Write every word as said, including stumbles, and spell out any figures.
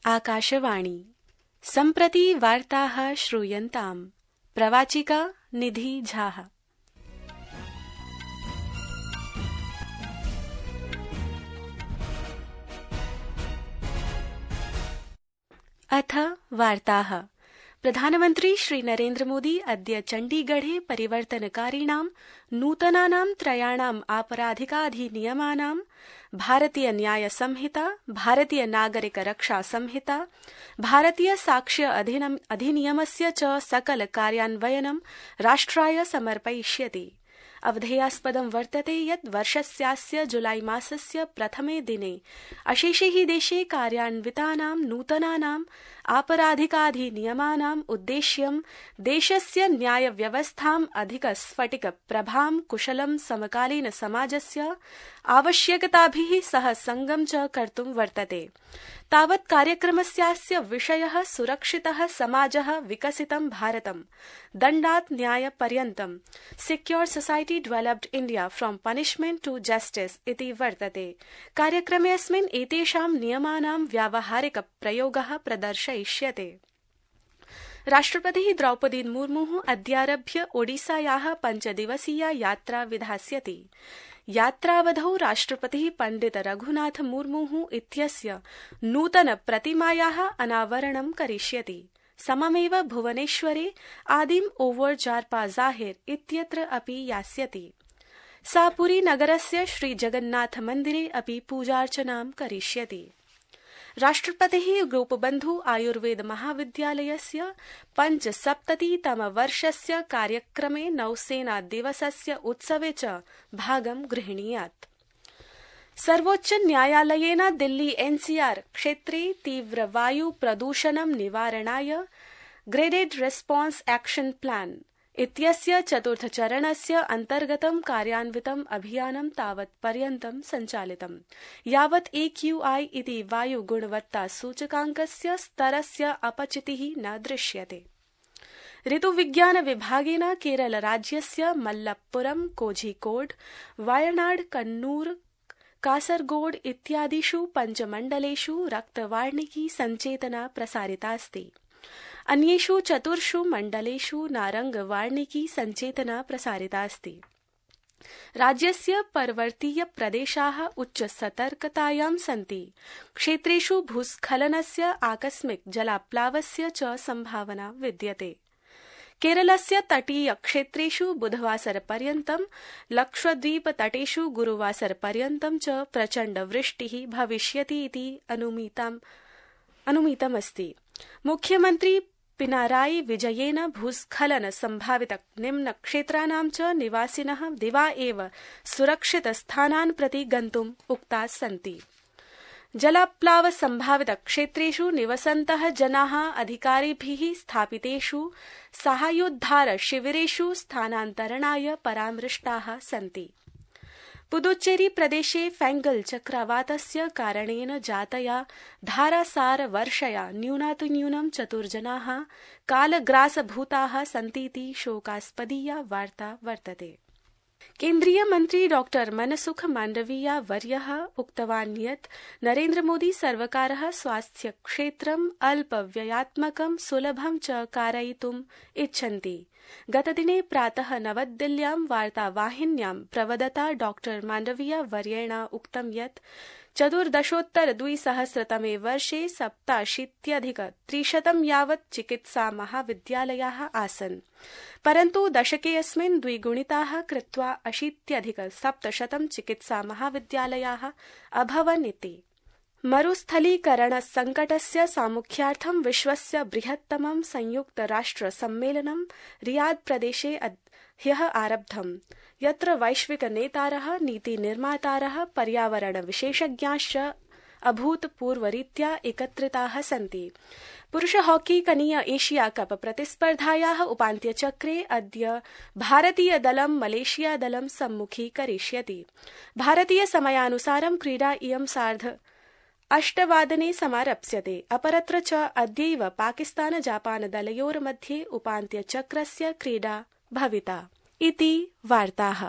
आकाशवाणी सम्प्रति वार्ताः श्रूयन्ताम्। प्रवाचिका निधि झा। अथ वार्ताः। प्रधानमन्त्री श्री नरेन्द्र मोदी अद्य चण्डीगढे परिवर्तनकारिणां नूतनानां त्रयाणाम् आपराधिकाधिनियमानां भारतीय न्याय संहिता, भारतीय नागरिक रक्षा संहिता, भारतीय साक्ष्य अधिनियमस्य च सकल कार्यान्वयनं राष्ट्राय समर्पयिष्यति। अवधेयास्पदं वर्तते यत् वर्षस्यास्य जुलाई मासस्य प्रथमे दिने अशेषे देशे कार्यान्वितानां नूतनानाम् आपराधिकाधिनियमानाम् उद्देश्यं देशस्य न्यायव्यवस्थाम् अधिकस्फटिकप्रभां कुशलं समकालीन समाजस्य आवश्यकताभिः सह संगं च कर्तुं वर्तते। तावत् कार्यक्रमस्यास्य विषयः सुरक्षितः समाजः, विकसितं भारतं, दण्डात् न्यायपर्यन्तं, secure society developed India from punishment to justice इति वर्तते। कार्यक्रमेऽस्मिन् एतेषां नियमानां व्यावहारिक प्रयोगः प्रदर्शयिष्यते। राष्ट्रपतिः द्रौपदी मुर्मुः अद्यारभ्य ओडिसायाः पञ्चदिवसीया यात्रा विधास्यति। यात्रावधौ राष्ट्रपतिः पण्डित रघुनाथ मुर्मुः इत्यस्य नूतन प्रतिमायाः अनावरणं करिष्यति। सममेव भुवनेश्वरे आदिम ओवर जार्पा जाहिर इत्यत्र अपि यास्यति। सा पुरी नगरस्य श्री जगन्नाथ मन्दिरे अपि पूजार्चनां करिष्यति। राष्ट्रपतिः गोपबन्धु आयुर्वेद महाविद्यालयस्य पञ्चसप्ततितम वर्षस्य कार्यक्रमे नौसेना दिवसस्य उत्सवे च भागं गृह्णीयात्। सर्वोच्च न्यायालयेन दिल्ली एनसीआर क्षेत्रे तीव्र वायु प्रदूषणं निवारणाय ग्रेडेड रेस्पॉन्स एक्शन प्लान इत्यस्य चतुर्थचरणस्य अन्तर्गतं कार्यान्वितम् अभियानं तावत् पर्यन्तं सञ्चालितम्, यावत् एक्यूआई इति वायु गुणवत्ता सूचकाङ्कस्य स्तरस्य अपचितिः न दृश्यते। ऋतुविज्ञान विभागेन केरल राज्यस्य मल्लपुरम, कोझिकोड, वायनाड, कन्नूर, कासरगोड इत्यादिषु पञ्चमण्डलेषु रक्तवार्णिकी सञ्चेतना प्रसारितास्ति। अन्येषु चतुर्षु मण्डलेषु नारङ्गवार्णिकी सञ्चेतना प्रसारितास्ति। राज्यस्य पर्वतीय प्रदेशाः उच्च सतर्कतायां सन्ति। क्षेत्रेषु भूस्खलनस्य, आकस्मिक जलाप्लावस्य च सम्भावना विद्यते। केरलस्य तटीय क्षेत्रेषु बुधवासरपर्यन्तं, लक्षद्वीप तटेषु गुरुवासरपर्यन्तं च प्रचण्ड वृष्टिः भविष्यति इति अनुमितमस्ति। मुख्यमन्त्री पिनाराई विजयेन भूस्खलन संभावित निम्न क्षेत्राणां च निवासिनः दिवा एव सुरक्षित स्थानान् प्रति गन्तुम् उक्ताः सन्ति। जलाप्लाव संभावित क्षेत्रेषु निवसन्तः जनाः अधिकारिभिः स्थापितेषु साहाय्योद्धार शिविरेषु स्थानान्तरणाय परामृष्टाः सन्ति। पुदुच्चेरी प्रदेशे फैंगल चक्रवातस्य कारणेन जातया धारासार वर्षया न्यूनातिन्यूनं चतुर्जनाः कालग्रासभूताः सन्तीति शोकास्पदीया वार्ता वर्तते। केन्द्रीय मन्त्री डॉक्टर मनसुख माण्डवीया वर्यः उक्तवान् यत् नरेन्द्र मोदी सर्वकारः स्वास्थ्य क्षेत्रम् अल्पव्ययात्मकं सुलभं च कारयितुम् इच्छन्ति। गतदिने प्रातः नवदिल्ल्यां वार्तावाहिन्यां प्रवदता डॉक्टर माण्डवीया वर्येण उक्तं यत् चतुर्दशोत्तर द्विसहस्रतमे वर्षे सप्ताशीत्यधिक त्रिशतं यावत् चिकित्सा महाविद्यालयाः आसन्, परन्तु दशकेऽस्मिन् द्विगुणिताः कृत्वा अशीत्यधिक सप्तशतं चिकित्सा महाविद्यालयाः अभवन् इति। मरुस्थलीकरण संकटस्य सामुख्यार्थं विश्वस्य बृहत्तमं संयुक्त राष्ट्र सम्मेलनं रियाद प्रदेशे ह्यः आरब्धम्, यत्र वैश्विक नेतारः, नीतिनिर्मातारः, पर्यावरण विशेषज्ञाश्च अभूतपूर्वरीत्या एकत्रिताः सन्ति। पुरुष हॉकी कनीय एशिया कप प्रतिस्पर्धायाः उपान्त्यचक्रे अद्य भारतीय दलं मलेशिया दलं सम्मुखीकरिष्यति। भारतीय समयानुसारं क्रीडा इयं सार्ध अष्टवादने समारप्स्यते। अपरत्र च अद्यैव पाकिस्तान जापान दलयोर्मध्ये उपान्त्यचक्रस्य क्रीडा भविता। इति वार्ताः।